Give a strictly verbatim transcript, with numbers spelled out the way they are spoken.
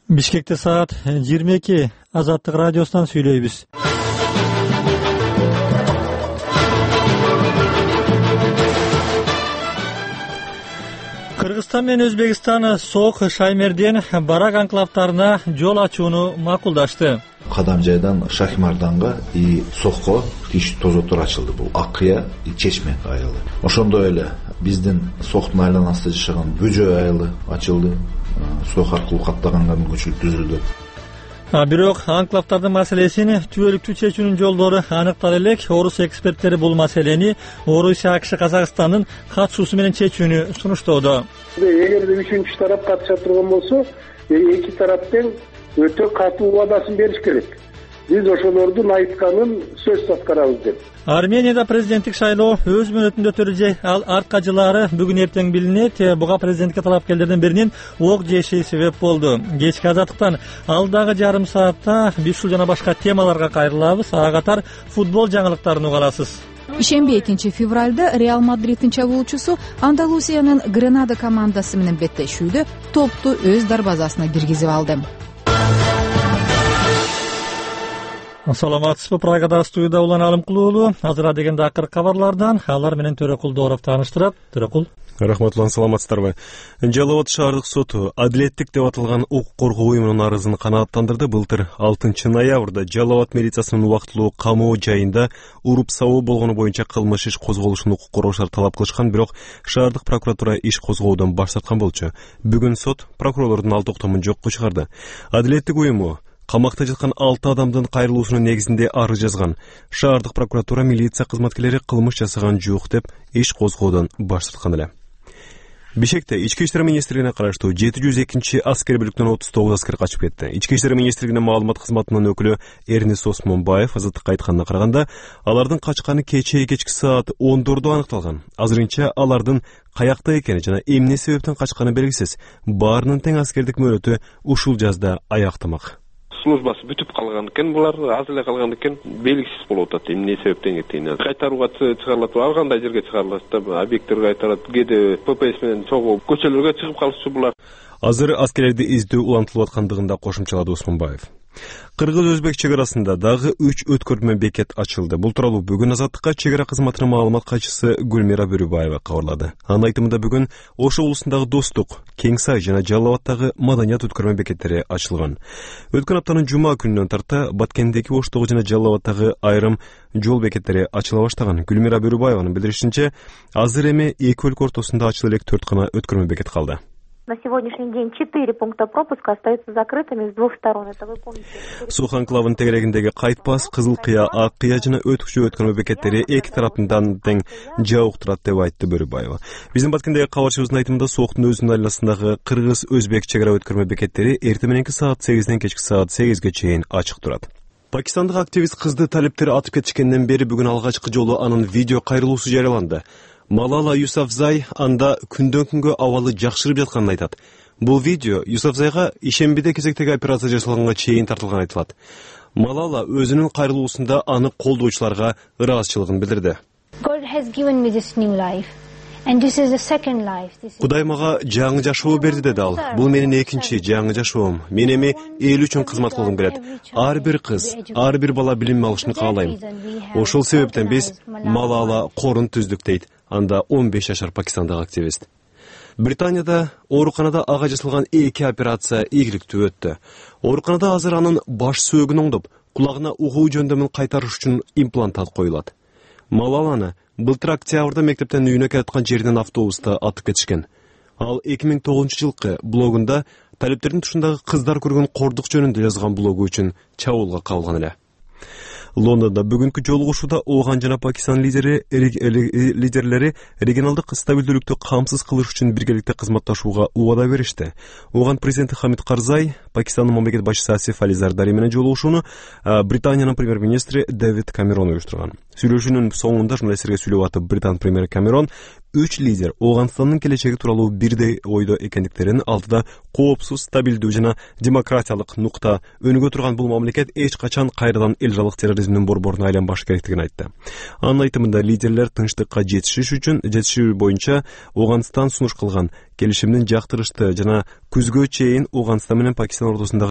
Бишкекте саат жыйырма эки. Азаттык радиосунан сүйлөйбүз. Кыргызстан менен Өзбекстан Сок, Шаймерден, Барак анклавтарына жол ачууну макулдашты. Кадам жайдан Шахимарданга и Сокко тиш тозоттор ачылды. Бул Аккыя и Чечме айылы. Ошондой эле биздин Соктун айланасында жашаган Бөжө айылы ачылды. Сок аркылуу каттаганга мүмкүнчүлүк түзүлдү. Бирок анклавтардын маселесин түбөлүктүү чечүүнүн жолдору аныктала элек. Орус эксперттери бул маселени Орусия, АКШ, Казакстандын катышуусу менен чечүүнү сунуштоодо. Эгерде үчүнчү тарап катыша турган болсо, эки тараптын өтө катуу убадасын бериш керек. Биз ошолордун айтканын сөзсүз аткарабыз деп. Арменияда президенттик шайлоо өз мөөнөтүндө өтөлү. Ал артка жылаары бүгүн эртең билинет. Буга президентке талапкерлердин биринин ок жеши себеп болду. Кечки азаттыктан алдагы жарым саатта биз ушул жана башка темаларга кайрылабыз. Ага катар футбол жаңылыктарын уга аласыз. Ишемби экинчи февралда Реал Мадриддин чабуучусу Андалусиянын Гранада командасы менен беттешүүдө топту өз дарбазасына киргизип алды. Саламатсызбы? Прагада студияда Улан Алымкулуулу. Азыр дегенде акыркы кабарлардан алар менен Төрөкул Дооров тааныштырат. Төрөкул. Рахмат, Улан, саламатсыздарбы? Жалал Абад шаардык соту адилеттик деп аталган укук коргоо уюмунун арызын канааттандырды. Былтыр алтынчы ноябрда Жалал Абад милициясынын убактылуу камоо жайында уруп сабоо болгону боюнча кылмыш иш козголушун укук коргоочулар талап кылышкан, бирок шаардык прокуратура иш козгоодон баш тарткан болчу. Бүгүн сот прокурорлордун ал токтомун жокко чыгарды. Адилеттик уюму камакта жаткан алты адамдын кайрылуусунун негизинде арыз жазган. Шаардык прокуратура милиция кызматкерлери кылмыш жасаган жок деп иш козгоодон баш тарткан эле. Бишкекте Ички иштер министрлигине караштуу жети жүз экинчи аскер бүлүктөн отуз тогуз аскер качып кетти. Ички иштер министрлигинин маалымат кызматынын өкүлү Эрнест Осмонбаев азаттыкка айтканына караганда, алардын качканы кечээ кечки саат ондордо аныкталган. Азырынча алардын каякта экени жана эмне себептен качканы белгисиз. Баарынын тең аскердик мөөнөтү ушул жазда аяктамак. Службасы бүтүп калган экен, булар аз эле калган экен, белгисиз болуп атат. Эмне себептен кеткени. Кайтарууга чыгарылат, ал кандай жерге чыгарылат да, объекттерге кайтарат, кээде ППС менен чогуу көчөлөргө чыгып калышчу булар. Азыр аскерлерди издөө улантылып аткандыгын да кошумчалады Осмонбаев. Кыргыз-Өзбек чек арасында дагы үч өткөрмө бекет ачылды. Бул тууралуу бүгүн азаттыкка чек ара кызматынын маалымат катчысы Гүлмира Бөрүбаева кабарлады. Анын айтымында бүгүн Ош облусундагы Достук, Кеңсай жана Жалал Абадтагы маданият өткөрмө бекеттери ачылган. Өткөн аптанын жума күнүнөн тарта Баткендеги, Оштогу жана Жалал Абадтагы айрым жол бекеттери ачыла баштаган. Гүлмира Бөрүбаеванын билдиришинче, азыр эми эки өлкө ортосунда ачыла элек төрт гана өткөрмө бекет калды. На сегодняшний день четыре пункта пропуска остаются закрытыми с двух сторон. Это вы помните? Сок анклавын тегерегиндеги Кайтпас, Кызылкыя, Аккыя жана Өтүкчү өткөрмө бекеттери эки тараптан тең жабык турат деп айтты Бөрүбаева. Биздин Баткендеги кабарчыбыздын айтымында Соктун өзүнүн айланасындагы Кыргыз-Өзбек чек ара өткөрмө бекеттери эртең мененки саат сегизден кечки саат сегизге чейин ачык турат. Пакистандык активист кызды талиптер атып кетишкенден бери бүгүн алгачкы жолу анын видео кайрылуусу жарыяланды. Малала Юсафзай анда күндөн күнгө абалы жакшырып жатканын айтат. Бул видео Юсафзайга ишембиде кезектеги операция жасалганга чейин тартылган айтылат. Малала өзүнүн кайрылуусунда аны колдоочуларга ыраазычылыгын билдирди. Кудай мага жаңы жашоо берди деди ал. Бул менин экинчи жаңы жашоом. Мен эми эл үчүн кызмат кылгым келет. Ар бир кыз, ар бир бала билим алышын каалайм. Ошол себептен биз Малала корун түздүк дейт анда он беш жашар пакистандык активист. Британияда ооруканада ага жасалган эки операция ийгиликтүү өттү. Ооруканада азыр анын баш сөөгүн оңдоп, кулагына угуу жөндөмүн кайтарыш үчүн имплантат коюлат. Малаланы былтыр октябрда мектептен үйүнө келаткан жеринен автобуста атып кетишкен. Ал эки миң тогузунчу жылкы блогунда талиптердин тушундагы кыздар көргөн кордук жөнүндө жазган блогу үчүн чабуулга кабылган эле. Лондонда бүгүнкү жолугушууда Ооган жана Пакистан лидери лидерлери регионалдык стабилдүүлүктү камсыз кылыш үчүн биргеликте кызматташууга убада беришти. Ооган президенти Хамид Карзай, Пакистандын мамлекет башчысы Асиф Али Зардари менен жолугушууну Британиянын премьер-министри Дэвид Камерон уюштурган. Сүйлөшүүнүн соңунда журналисттерге сүйлөп атып Британ премьери Камерон үч лидер Ооганстандын келечеги тууралуу бирдей ойдо экендиктерин, алдыда коопсуз, стабилдүү жана демократиялык нукта өнүгө турган бул мамлекет эч качан кайрадан эл жалык терроризмдин борборуна айланбашы керектигин айтты. Анын айтымында лидерлер тынчтыкка жетишиш үчүн жетишүү боюнча Ооганстан сунуш кылган келишимдин жактырышты жана күзгө чейин Ооганстан менен Пакистан ортосундагы